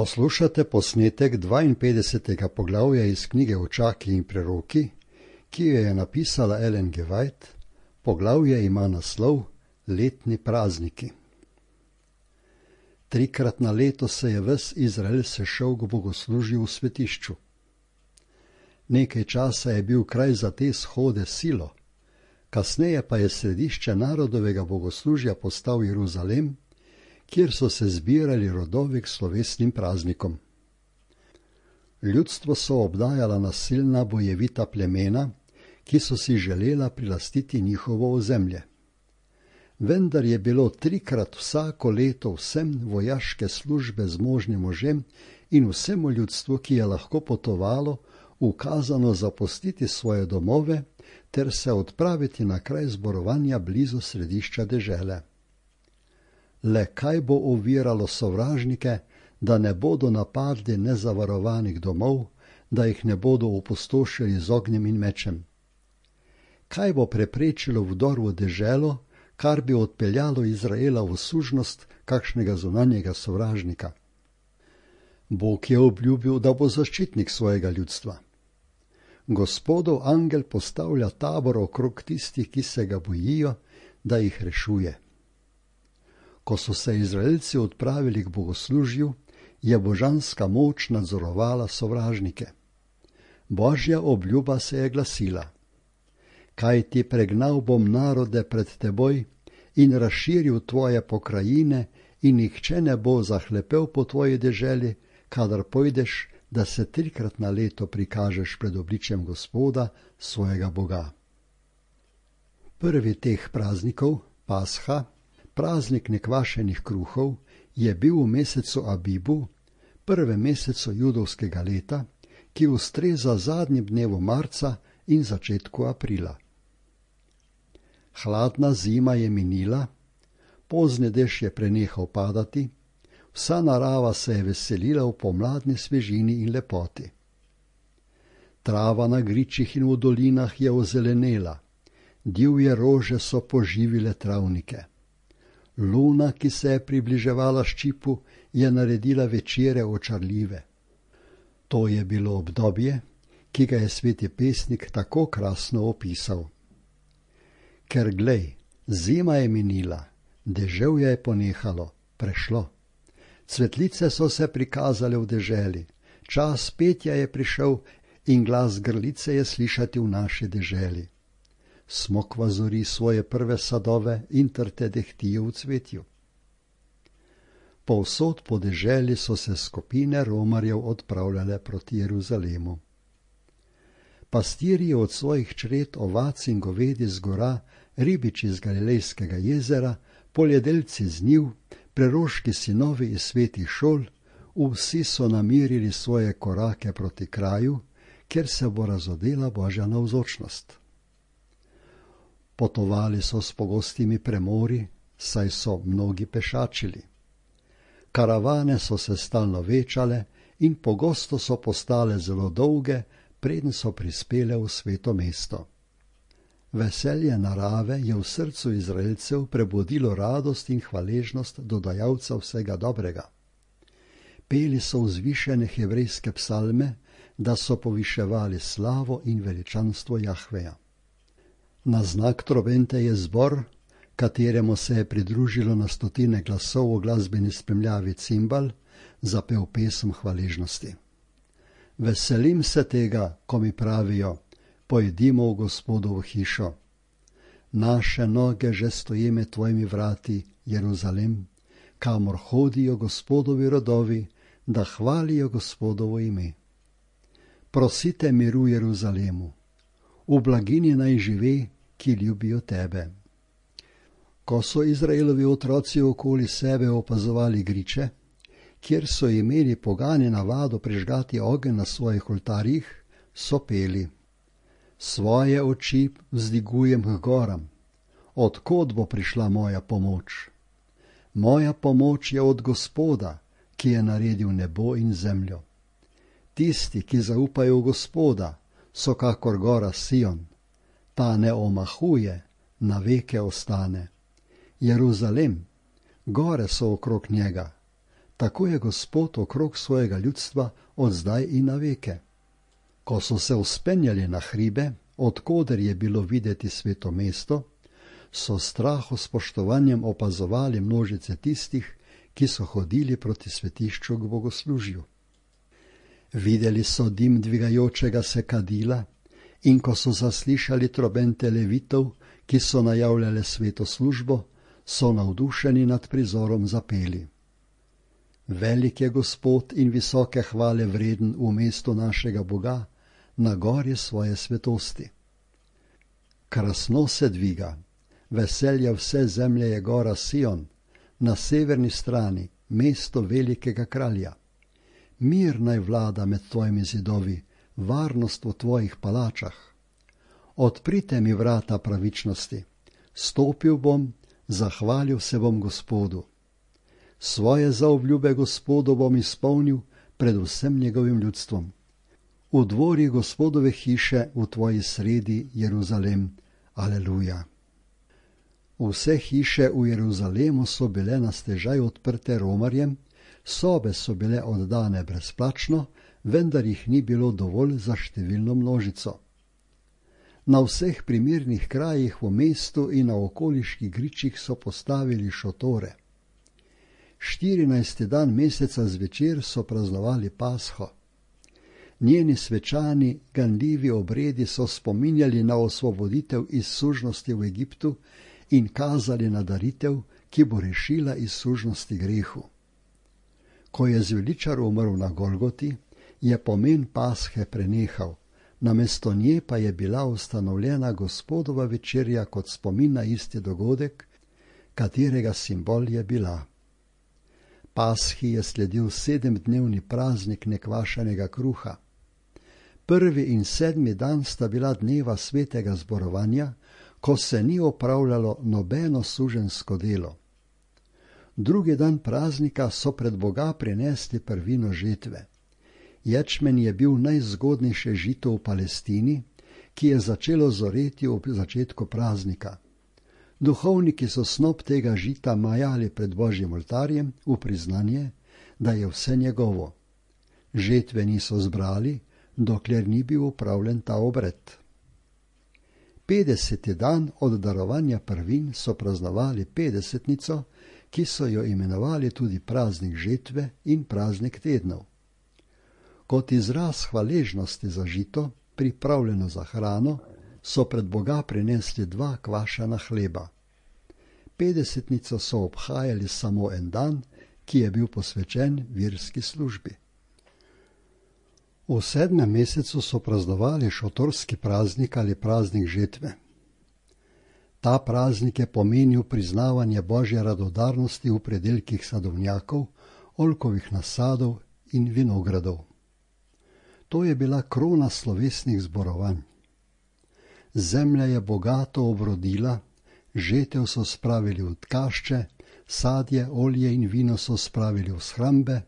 Poslušate posnetek 52. poglavja iz knjige Očaki in preroki, ki jo je napisala Ellen G. White. Poglavje ima naslov Letni prazniki. 3-krat na leto se je ves Izrael sešel k bogoslužju v svetišču. Nekaj časa je bil kraj za te shode Silo, kasneje pa je središče narodovega bogoslužja postal Jeruzalem, kjer so se zbirali rodovi k slovesnim praznikom. Ljudstvo so obdajala nasilna bojevita plemena, ki so si želela prilastiti njihovo ozemlje. Vendar je bilo 3-krat vsako leto vsem vojaške službe z možnim možem in vsemu ljudstvu, ki je lahko potovalo, ukazano zapustiti svoje domove ter se odpraviti na kraj zborovanja blizu središča dežele. Le kaj bo oviralo sovražnike, da ne bodo napadli nezavarovanih domov, da jih ne bodo opustošili z ognjem in mečem? Kaj bo preprečilo vdor v deželo, kar bi odpeljalo Izraela v sužnost kakšnega zunanjega sovražnika? Bog je obljubil, da bo zaščitnik svojega ljudstva. Gospodov angel postavlja tabor okrog tistih, ki se ga bojijo, da jih rešuje. Ko so se Izraelci odpravili k bogoslužju, je božanska moč nadzorovala sovražnike. Božja obljuba se je glasila: Kaj ti pregnal bom narode pred teboj in razširil tvoje pokrajine in nihče ne bo zahlepel po tvoji deželi, kadar pojdeš, da se 3-krat na leto prikažeš pred obličjem Gospoda, svojega Boga. Prvi teh praznikov, Pasha, praznik nekvašenih kruhov, je bil v mesecu Abibu, prvem mesecu judovskega leta, ki ustreza zadnjim dnevu marca in začetku aprila. Hladna zima je minila, pozni dež je prenehal padati, vsa narava se je veselila v pomladni svežini in lepoti. Trava na gričih in v dolinah je ozelenela, divje rože so poživile travnike. Luna, ki se je približevala ščipu, je naredila večere očarljive. To je bilo obdobje, ki ga je sveti pesnik tako krasno opisal. Ker glej, zima je minila, deževje je ponehalo, prešlo. Cvetlice so se prikazale v deželi, čas petja je prišel in glas grlice je slišati v naši deželi. Smokva zori svoje prve sadove in trte dehtijo v cvetju. Povsod po deželi so se skupine romarjev odpravljale proti Jeruzalemu. Pastirji od svojih čred ovac in govedi z gora, ribiči iz Galilejskega jezera, poljedelci z njiv, preroški sinovi iz svetih šol, vsi so namirili svoje korake proti kraju, kjer se bo razodela Božja navzočnost. Potovali so s pogostimi premori, saj so mnogi pešačili. Karavane so se stalno večale in pogosto so postale zelo dolge, preden so prispele v sveto mesto. Veselje narave je v srcu Izraelcev prebudilo radost in hvaležnost do dajalca vsega dobrega. Peli so vzvišene hebrejske psalme, da so poviševali slavo in veličanstvo Jahveja. Na znak trobente je zbor, kateremu se je pridružilo na stotine glasov v glasbeni spremljavi cimbal, zapel pesem hvaležnosti. Veselim se tega, ko mi pravijo: pojdimo v Gospodovo hišo. Naše noge že stoji med tvojimi vrati, Jeruzalem, kamor hodijo Gospodovi rodovi, da hvalijo Gospodovo ime. Prosite miru Jeruzalemu, v blagini naj žive, ki ljubijo tebe. Ko so Izraelovi otroci okoli sebe opazovali griče, kjer so imeli pogani navado prižgati ogenj na svojih oltarjih, so peli: Svoje oči vzdigujem k goram, od kod bo prišla moja pomoč? Moja pomoč je od Gospoda, ki je naredil nebo in zemljo. Tisti, ki zaupajo v Gospoda, so kakor gora Sion, ta ne omahuje, na veke ostane. Jeruzalem, gore so okrog njega, tako je Gospod okrog svojega ljudstva od zdaj in na veke. Ko so se vzpenjali na hribe, odkoder je bilo videti sveto mesto, so straho spoštovanjem opazovali množice tistih, ki so hodili proti svetišču k bogoslužju. Videli so dim dvigajočega se kadila in ko so zaslišali trobente levitov, ki so najavljale sveto službo, so navdušeni nad prizorom zapeli. Velik je Gospod in visoke hvale vreden v mestu našega Boga, na gori svoje svetosti. Krasno se dviga, veselja vse zemlje je gora Sion, na severni strani mesto velikega kralja. Mir naj vlada med tvojimi zidovi, varnost v tvojih palačah. Odprite mi vrata pravičnosti, stopil bom, zahvalil se bom Gospodu. Svoje zaobljube Gospodu bom izpolnil pred vsem njegovim ljudstvom. V dvori Gospodove hiše v tvoji sredi, Jeruzalem. Aleluja. Vse hiše v Jeruzalemu so bile na stežaj odprte romarjem, sobe so bile oddane brezplačno, vendar jih ni bilo dovolj za številno množico. Na vseh primirnih krajih v mestu in na okoliških gričih so postavili šotore. 14. dan meseca zvečer so praznovali Pasho. Njeni svečani, ganljivi obredi so spominjali na osvoboditev iz sužnosti v Egiptu in kazali na daritev, ki bo rešila iz sužnosti grehu. Ko je zveličar umrl na Golgoti, je pomen Pashe prenehal, namesto nje pa je bila ustanovljena Gospodova večerja kot spomin na isti dogodek, katerega simbol je bila. Pashi je sledil 7-dnevni praznik nekvašenega kruha. 1. in 7. dan sta bila dneva svetega zborovanja, ko se ni opravljalo nobeno suženjsko delo. 2. dan praznika so pred Boga prinesli prvino žetve. Ječmen je bil najzgodnejše žito v Palestini, ki je začelo zoreti ob začetku praznika. Duhovniki so snop tega žita majali pred Božjim oltarjem v priznanje, da je vse njegovo. Žetve niso zbrali, dokler ni bil opravljen ta obred. 50. dan od darovanja prvin so praznovali petdesetnico, ki so jo imenovali tudi praznik žetve in praznik tednov. Kot izraz hvaležnosti za žito, pripravljeno za hrano, so pred Boga prinesli 2 kvašana hleba. Petdesetnico so obhajali samo en dan, ki je bil posvečen verski službi. V 7. mesecu so praznovali šotorski praznik ali praznik žetve. Ta praznik je pomenil priznavanje Božje radodarnosti v predelkih sadovnjakov, oljkovih nasadov in vinogradov. To je bila krona slovesnih zborovanj. Zemlja je bogato obrodila, žetev so spravili v tkašče, sadje, olje in vino so spravili v shrambe,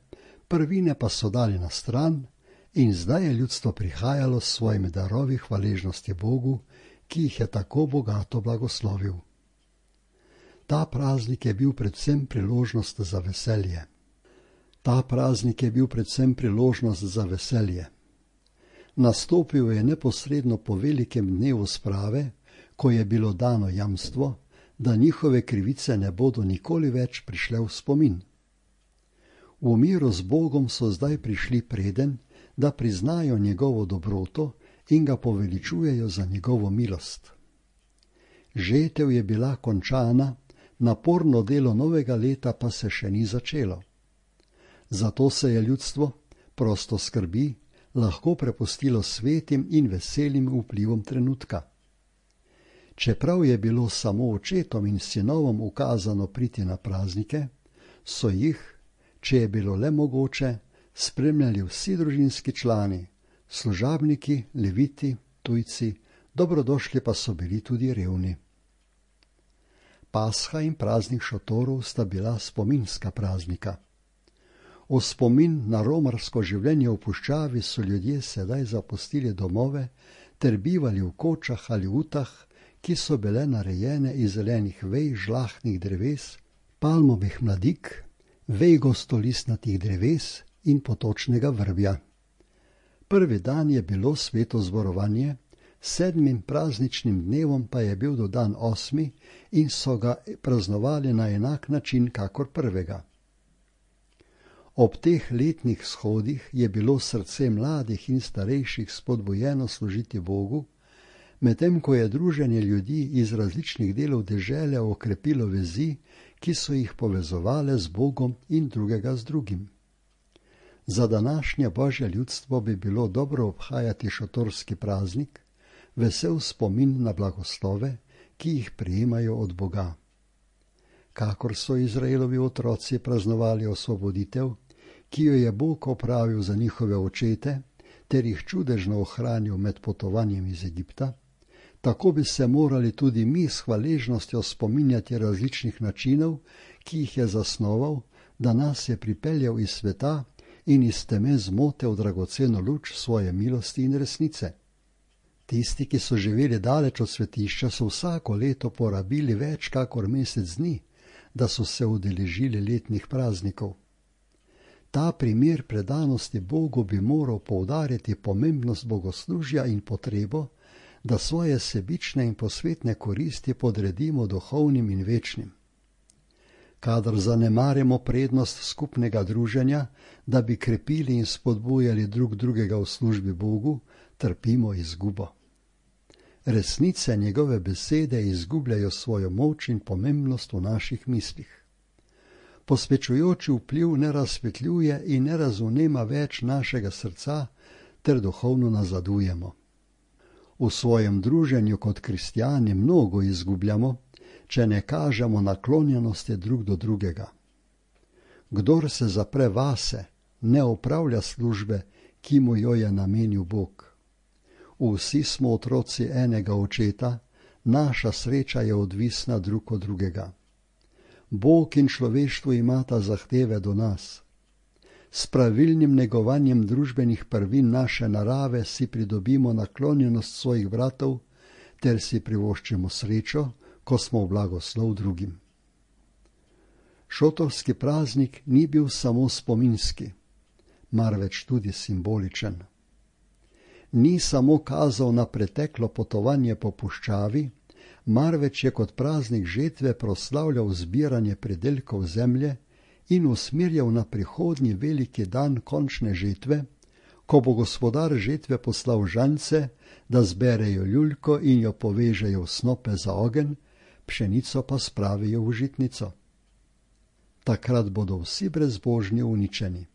prvine pa so dali na stran in zdaj je ljudstvo prihajalo s svojimi darovi hvaležnosti Bogu, ki jih je tako bogato blagoslovil. Ta praznik je bil predvsem priložnost za veselje. Nastopil je neposredno po velikem dnevu sprave, ko je bilo dano jamstvo, da njihove krivice ne bodo nikoli več prišle v spomin. V miru z Bogom so zdaj prišli preden, da priznajo njegovo dobroto in ga poveličujejo za njegovo milost. Žetev je bila končana, naporno delo novega leta pa se še ni začelo. Zato se je ljudstvo, prosto skrbi, lahko prepustilo svetim in veselim vplivom trenutka. Čeprav je bilo samo očetom in sinovom ukazano priti na praznike, so jih, če je bilo le mogoče, spremljali vsi družinski člani, služabniki, leviti, tujci, dobrodošli pa so bili tudi revni. Pasha in praznik šotorov sta bila spominska praznika. V spomin na romarsko življenje v puščavi so ljudje sedaj zapustili domove ter bivali v kočah ali utah, ki so bile narejene iz zelenih vej žlahtnih dreves, palmovih mladik, vej gostolistnatih dreves in potočnega vrbja. Prvi dan je bilo sveto zborovanje, 7. prazničnim dnevom pa je bil dodan 8. in so ga praznovali na enak način kakor prvega. Ob teh letnih shodih je bilo srce mladih in starejših spodbujeno služiti Bogu, medtem ko je druženje ljudi iz različnih delov dežele okrepilo vezi, ki so jih povezovale z Bogom in drugega z drugim. Za današnje božje ljudstvo bi bilo dobro obhajati šotorski praznik, vesel spomin na blagoslove, ki jih prejemajo od Boga. Kakor so Izraelovi otroci praznovali osvoboditev, ki jo je Bog opravil za njihove očete, ter jih čudežno ohranil med potovanjem iz Egipta, tako bi se morali tudi mi s hvaležnostjo spominjati različnih načinov, ki jih je zasnoval, da nas je pripeljal iz sveta in iz teme zmote v dragoceno luč svoje milosti in resnice. Tisti, ki so živeli daleč od svetišča, so vsako leto porabili več kakor mesec dni, da so se udeležili letnih praznikov. Ta primer predanosti Bogu bi moral poudarjati pomembnost bogoslužja in potrebo, da svoje sebične in posvetne koristi podredimo duhovnim in večnim. Kadar zanemarimo prednost skupnega druženja, da bi krepili in spodbujali drug drugega v službi Bogu, trpimo izgubo. Resnice njegove besede izgubljajo svojo moč in pomembnost v naših mislih. Posvečujoči vpliv ne razsvetljuje in ne razvnema več našega srca, ter duhovno nazadujemo. V svojem druženju kot kristjani mnogo izgubljamo, če ne kažemo naklonjenosti drug do drugega. Kdor se zapre vase, ne opravlja službe, ki mu jo je namenil Bog. Vsi smo otroci enega očeta, naša sreča je odvisna drug od drugega. Bog in človeštvo imata zahteve do nas. S pravilnim negovanjem družbenih prvin naše narave si pridobimo naklonjenost svojih bratov, ter si privoščimo srečo, ko smo v blagoslov drugim. Šotorski praznik ni bil samo spominski, marveč tudi simboličen. Ni samo kazal na preteklo potovanje po puščavi, marveč je kot praznik žetve proslavljal zbiranje pridelkov zemlje in usmerjal na prihodnji veliki dan končne žetve, ko bo gospodar žetve poslal žance, da zberejo ljuljko in jo povežejo v snope za ogenj, pšenico pa spravijo v žitnico. Takrat bodo vsi brezbožni uničeni.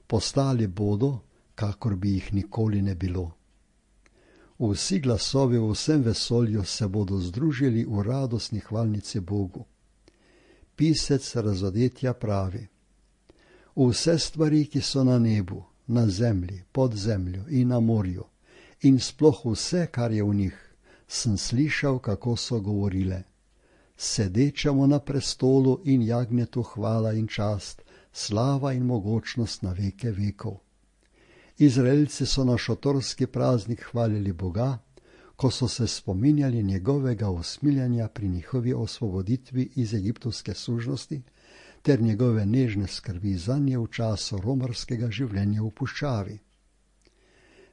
Postali bodo, kakor bi jih nikoli ne bilo. Vsi glasovi v vsem vesolju se bodo združili v radostni hvalnici Bogu. Pisec razodetja pravi: vse stvari, ki so na nebu, na zemlji, pod zemljo in na morju, in sploh vse, kar je v njih, sem slišal, kako so govorile: sedečemu na prestolu in jagnjetu hvala in čast, slava in mogočnost na veke vekov. Izraelci so na šotorski praznik hvalili Boga, ko so se spominjali njegovega usmiljanja pri njihovi osvoboditvi iz egiptovske sužnosti ter njegove nežne skrbi zanje v času romarskega življenja v puščavi.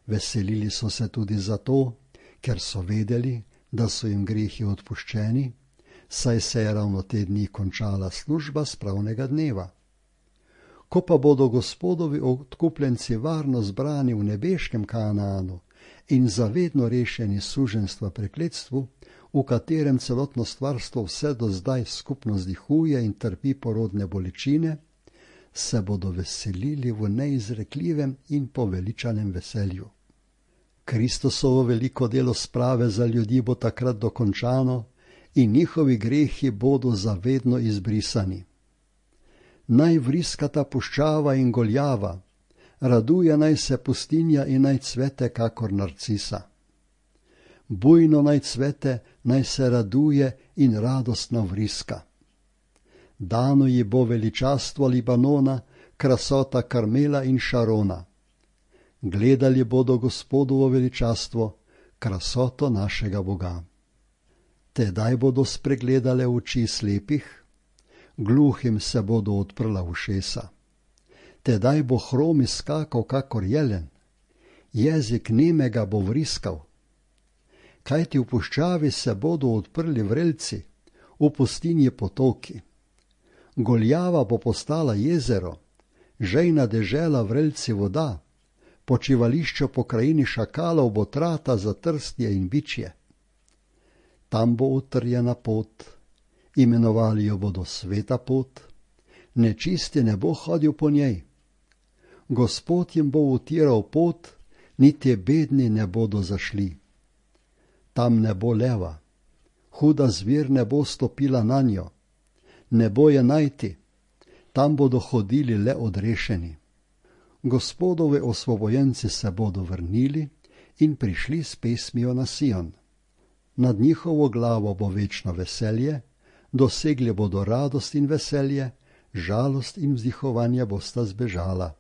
Veselili so se tudi zato, ker so vedeli, da so jim grehi odpuščeni, saj se je ravno te dni končala služba spravnega dneva. Ko pa bodo Gospodovi odkupljenci varno zbrani v nebeškem Kanaanu in zavedno rešeni suženstva prekletstvu, v katerem celotno stvarstvo vse do zdaj skupno zdihuje in trpi porodne bolečine, se bodo veselili v neizrekljivem in poveličanem veselju. Kristusovo veliko delo sprave za ljudi bo takrat dokončano in njihovi grehi bodo zavedno izbrisani. Naj vriskata puščava in goljava, raduje naj se pustinja in naj cvete kakor narcisa. Bujno naj cvete, naj se raduje in radostno vriska. Dano ji bo veličastvo Libanona, krasota Karmela in Šarona. Gledali bodo Gospodovo veličastvo, krasoto našega Boga. Tedaj bodo spregledale oči slepih, gluhim se bodo odprla ušesa. Tedaj bo hrom izskakal kakor jelen, jezik nemega bo vriskal. Kajti v puščavi se bodo odprli vrelci, v pustinji potoki. Goljava bo postala jezero, žejna dežela vrelci voda, počivališče po krajini šakalov bo trata za trstje in bičje. Tam bo utrjena pot, imenovali jo bodo sveta pot, nečisti ne bo hodil po njej. Gospod jim bo utiral pot, niti bedni ne bodo zašli. Tam ne bo leva, huda zver ne bo stopila nanjo, ne bo je najti, tam bodo hodili le odrešeni. Gospodove osvobojenci se bodo vrnili in prišli s pesmijo na Sion. Nad njihovo glavo bo večno veselje, dosegli bodo radost in veselje, žalost in vzdihovanje bosta zbežala.